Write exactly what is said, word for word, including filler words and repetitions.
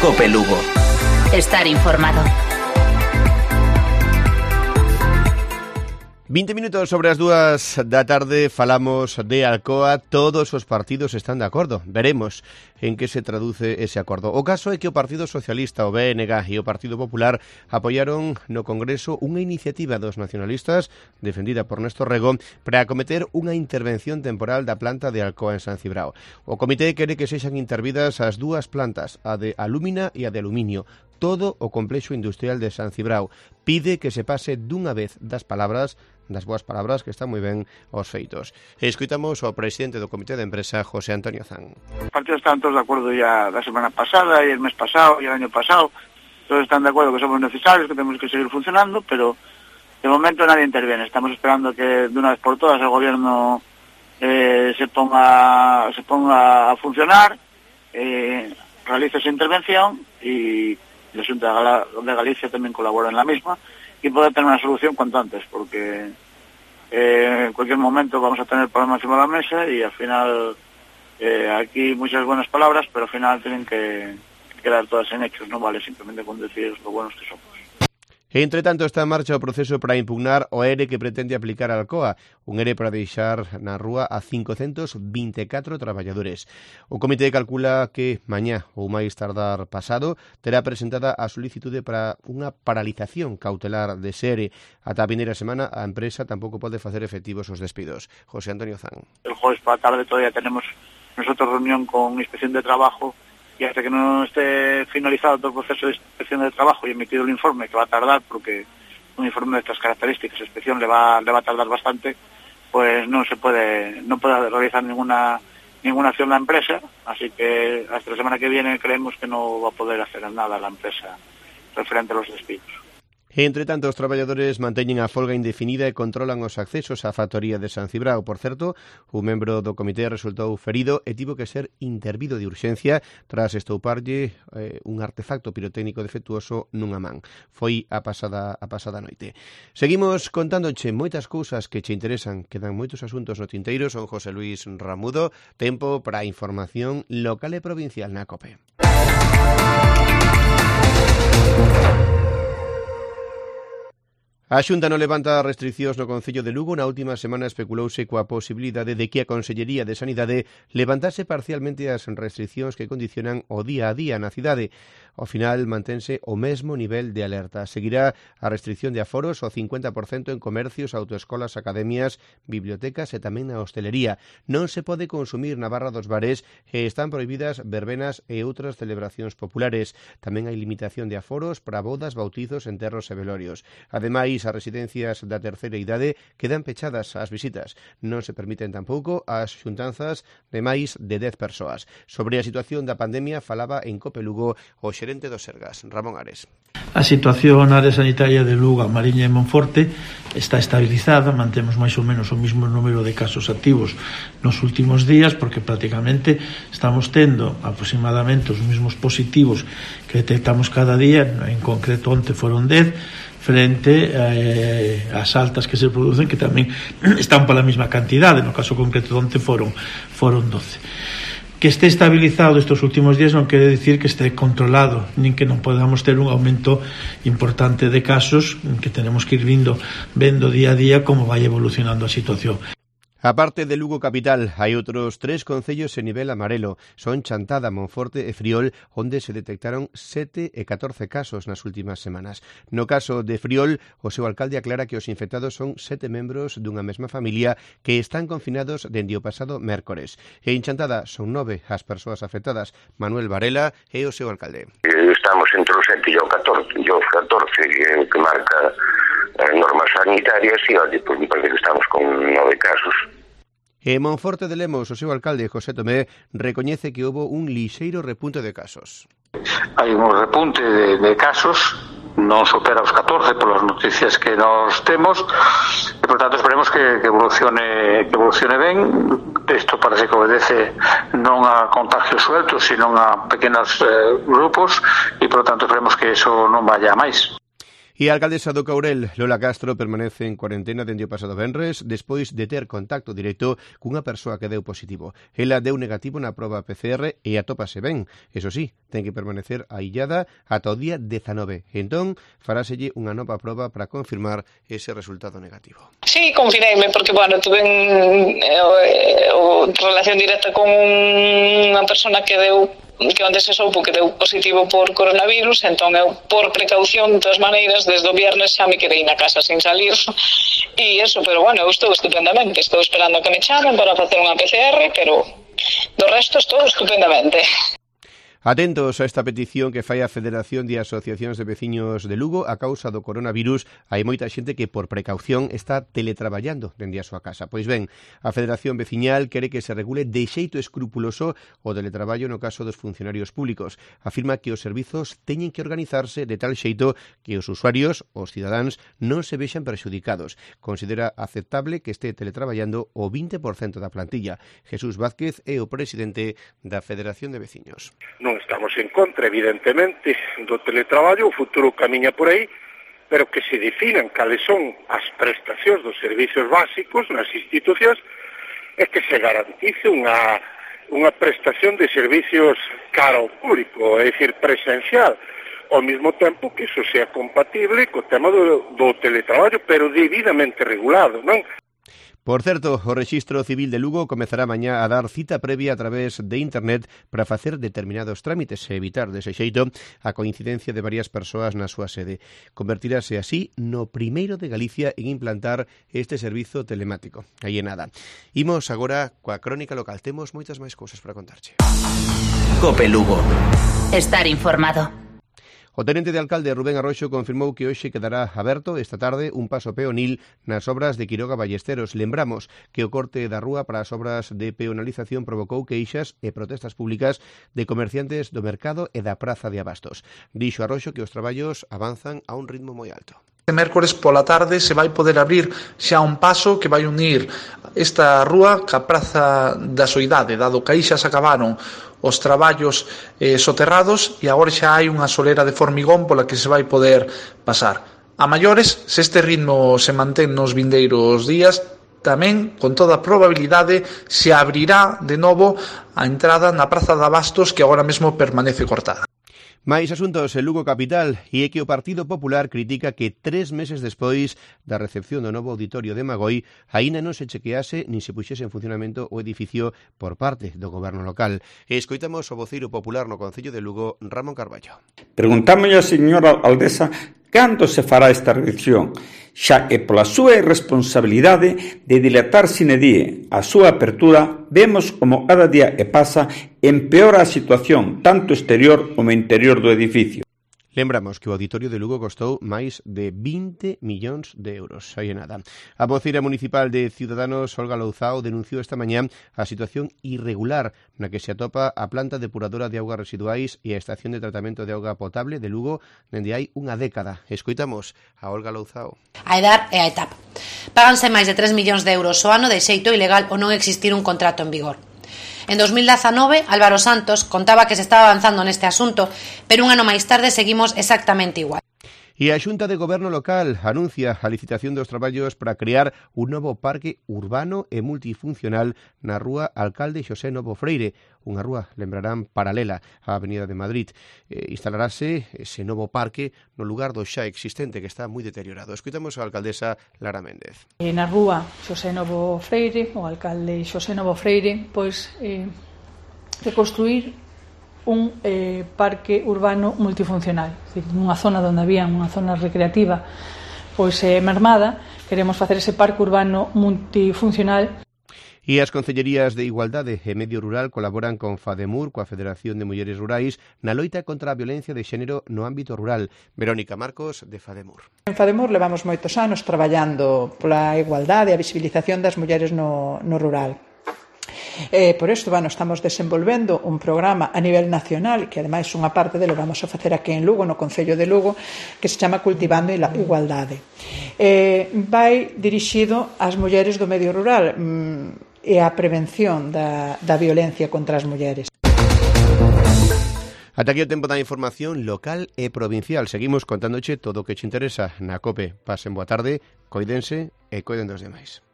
Cope Lugo. Estar informado. vinte minutos sobre as dúas da tarde, falamos de Alcoa. Todos os partidos están de acordo. Veremos en que se traduce ese acordo. O caso é que o Partido Socialista, o B N G e o Partido Popular apoiaron no Congreso unha iniciativa dos nacionalistas defendida por Néstor Rego para acometer unha intervención temporal da planta de Alcoa en San Cibrao. O comité quere que sexan intervidas as dúas plantas, a de alúmina e a de aluminio, todo o complexo industrial de San Cibrao. Pide que se pase dunha vez das palabras das boas palabras, que están moi ben aos feitos. E escoitamos ao presidente do Comité de Empresa, José Antonio Zan. Os partidos están todos de acordo ya la semana pasada, y el mes pasado, y el año pasado. Todos están de acuerdo que somos necesarios, que tenemos que seguir funcionando, pero de momento nadie interviene. Estamos esperando que de una vez por todas el gobierno eh, se ponga se ponga a funcionar, eh, realice esa intervención, y la Xunta de Galicia también colabora en la misma, y poder tener una solución cuanto antes, porque eh, en cualquier momento vamos a tener problemas encima de la mesa, y al final eh, aquí muchas buenas palabras, pero al final tienen que quedar todas en hechos, no vale simplemente con decir lo buenos que somos. Entre tanto, está en marcha o proceso para impugnar o E R E que pretende aplicar a Alcoa, un E R E para deixar na rúa a cincocentos vinte e catro traballadores. O comité calcula que mañá ou máis tardar pasado terá presentada a solicitude para unha paralización cautelar de ese E R E. Ata a vindeira semana a empresa tampouco pode facer efectivos os despidos. José Antonio Zan. El jueves para la tarde todavía tenemos nosotros reunión con Inspección de Trabajo, y hasta que no esté finalizado todo el proceso de inspección de trabajo y emitido el informe, que va a tardar, porque un informe de estas características, inspección, le va, le va a tardar bastante, pues no se puede, no puede realizar ninguna ninguna acción la empresa, así que hasta la semana que viene creemos que no va a poder hacer nada la empresa referente a los despidos. Entre tanto, os traballadores manteñen a folga indefinida e controlan os accesos á factoría de San Cibrao. Por certo, un membro do comité resultou ferido e tivo que ser intervido de urxencia tras estouparlle eh, un artefacto pirotécnico defectuoso nunha man. Foi a pasada a pasada noite. Seguimos contándoche moitas cousas que che interesan. Quedan moitos asuntos no tinteiro. Son José Luis Ramudo. Tempo para a información local e provincial na COPE. A Xunta non levanta restriccións no Concello de Lugo. Na última semana especulouse coa posibilidade de que a Consellería de Sanidade levantase parcialmente as restriccións que condicionan o día a día na cidade. Ao final mantense o mesmo nivel de alerta. Seguirá a restricción de aforos ao cincuenta por cento en comercios, autoescolas, academias, bibliotecas e tamén na hostelería. Non se pode consumir na barra dos bares e están prohibidas verbenas e outras celebracións populares. Tamén hai limitación de aforos para bodas, bautizos, enterros e velorios. Ademais, as residencias da terceira idade quedan pechadas ás visitas. Non se permiten tampouco as xuntanzas de máis de dez persoas. Sobre a situación da pandemia falaba en Cope Lugo o xerente do Sergas, Ramón Ares. A situación na área sanitaria de Lugo, Mariña e Monforte está estabilizada, mantemos máis ou menos o mesmo número de casos activos nos últimos días, porque prácticamente estamos tendo aproximadamente os mesmos positivos que detectamos cada día. En concreto, onte foron dez, frente eh, ás altas que se producen, que tamén están pola mesma cantidade. No caso concreto de onte foron, foron doce. Que este estabilizado estes últimos días non quere dicir que este controlado, nin que non podamos ter un aumento importante de casos, que tenemos que ir vindo, vendo día a día como vai evolucionando a situación. A parte de Lugo capital, hai outros tres concellos en nivel amarelo. Son Chantada, Monforte e Friol, onde se detectaron sete e catorce casos nas últimas semanas. No caso de Friol, o seu alcalde aclara que os infectados son sete membros dunha mesma familia que están confinados dende o pasado mércores. E en Chantada son nove as persoas afectadas. Manuel Varela é o seu alcalde. Estamos entre os sete e o catorce, e os catorce que, que marca as normas sanitarias, e olha, pois me parece que estamos con nove casos. E Monforte de Lemos, o seu alcalde, José Tomé, recoñece que houbo un lixeiro repunte de casos. Hai un repunte de, de casos, non supera os catorce polas noticias que nos temos, e por tanto esperemos que, que evolucione que evolucione ben. Isto parece que obedece non a contagios sueltos, sino a pequenos eh, grupos, e por tanto esperemos que eso non vaya a máis. E a alcaldesa do Courel, Lola Castro, permanece en cuarentena dende o pasado venres despois de ter contacto directo cunha persoa que deu positivo. Ela deu negativo na proba P C R e atópase ben. Eso sí, ten que permanecer aillada ata o día dezanove. Entón, faráselle unha nova proba para confirmar ese resultado negativo. Sí, confineime porque, bueno, tuve en, eh, o, relación directa con unha persona que deu que onde se soupo que deu positivo por coronavirus, entón eu, por precaución, de todas maneiras, desde o viernes xa me quedei na casa sin salir, e eso, pero bueno, eu estou estupendamente, estou esperando que me chamen para facer unha P C R, pero do resto estou estupendamente. Atentos a esta petición que fai a Federación de Asociacións de Veciños de Lugo a causa do coronavirus. Hai moita xente que por precaución está teletraballando dende a súa casa. Pois ben, a Federación Veciñal quere que se regule de xeito escrupuloso o teletraballo no caso dos funcionarios públicos. Afirma que os servizos teñen que organizarse de tal xeito que os usuarios, os cidadáns, non se vexan perxudicados. Considera aceptable que este teletraballando o vinte por cento da plantilla. Jesús Vázquez é o presidente da Federación de Veciños. Non estamos en contra, evidentemente, do teletraballo, o futuro camiña por aí, pero que se definan cales son as prestacións dos servicios básicos nas institucións e que se garantice unha, unha prestación de servicios cara ao público, é dicir, presencial, ao mesmo tempo que iso sea compatible co tema do, do teletraballo, pero debidamente regulado, non? Por certo, o Rexistro Civil de Lugo comezará mañá a dar cita previa a través de internet para facer determinados trámites e evitar, dese xeito, a coincidencia de varias persoas na súa sede. Convertirase así no primeiro de Galicia en implantar este servizo telemático. Aí é nada. Imos agora coa crónica local. Temos moitas máis cousas para contarche. Cope Lugo. Estar informado. O tenente de alcalde Rubén Arroxo confirmou que hoxe quedará aberto esta tarde un paso peonil nas obras de Quiroga Ballesteros. Lembramos que o corte da rúa para as obras de peonalización provocou queixas e protestas públicas de comerciantes do mercado e da praza de Abastos. Dixo Arroxo que os traballos avanzan a un ritmo moi alto. Este mércores pola tarde se vai poder abrir xa un paso que vai unir esta rúa ca praza da Soidade, dado que aí xa se acabaron os traballos eh, soterrados e agora xa hai unha solera de formigón pola que se vai poder pasar. A maiores, se este ritmo se mantén nos vindeiros días, tamén, con toda probabilidade, se abrirá de novo a entrada na praza de Abastos que agora mesmo permanece cortada. Mais asuntos en Lugo capital, e é que o Partido Popular critica que tres meses despois da recepción do novo auditorio de Magoi aínda non se chequease nin se puxese en funcionamento o edificio por parte do goberno local. E escoitamos o voceiro popular no Concello de Lugo, Ramón Carballo. Preguntámoslle a señora Aldesa cando se fará esta revisión, xa que pola súa irresponsabilidade de dilatar sine die a súa apertura, vemos como cada día que pasa empeora a situación tanto exterior como interior do edificio. Lembramos que o auditorio de Lugo costou máis de vinte millóns de euros. Aí é nada. A voceira municipal de Ciudadanos, Olga Louzao, denunciou esta mañá a situación irregular na que se atopa a planta depuradora de augas residuais e a estación de tratamento de auga potable de Lugo dende hai unha década. Escoitamos a Olga Louzao. A edad e a etapa. Páganse máis de tres millóns de euros ao ano de xeito ilegal ou non existir un contrato en vigor. En dos mil dezanove, Álvaro Santos contaba que se estaba avanzando neste asunto, pero un ano máis tarde seguimos exactamente igual. E a Xunta de Goberno Local anuncia a licitación dos traballos para crear un novo parque urbano e multifuncional na rúa Alcalde Xosé Novo Freire, unha rúa, lembrarán, paralela á Avenida de Madrid. Eh, instalarase ese novo parque no lugar do xa existente, que está moi deteriorado. Escoitamos a alcaldesa Lara Méndez. E na rúa Xosé Novo Freire, o alcalde Xosé Novo Freire, pois eh, reconstruir un eh, parque urbano multifuncional, é dicir, nunha zona onde había unha zona recreativa pois eh, mermada, queremos facer ese parque urbano multifuncional. E as Concellerías de Igualdade e Medio Rural colaboran con FADEMUR, coa Federación de Mulleres Rurais, na loita contra a violencia de xénero no ámbito rural. Verónica Marcos, de FADEMUR. En FADEMUR levamos moitos anos traballando pola igualdade e a visibilización das mulleres no, no rural. Eh, por isto, bueno, estamos desenvolvendo un programa a nivel nacional, que ademais unha parte delo vamos a facer aquí en Lugo, no Concello de Lugo, que se chama Cultivando a Igualdade. Eh, vai dirixido ás mulleres do medio rural mm, e á prevención da, da violencia contra as mulleres. Ata aquí o tempo da información local e provincial. Seguimos contándoche todo o que te interesa na COPE. Pasen boa tarde, coídense e coiden dos demais.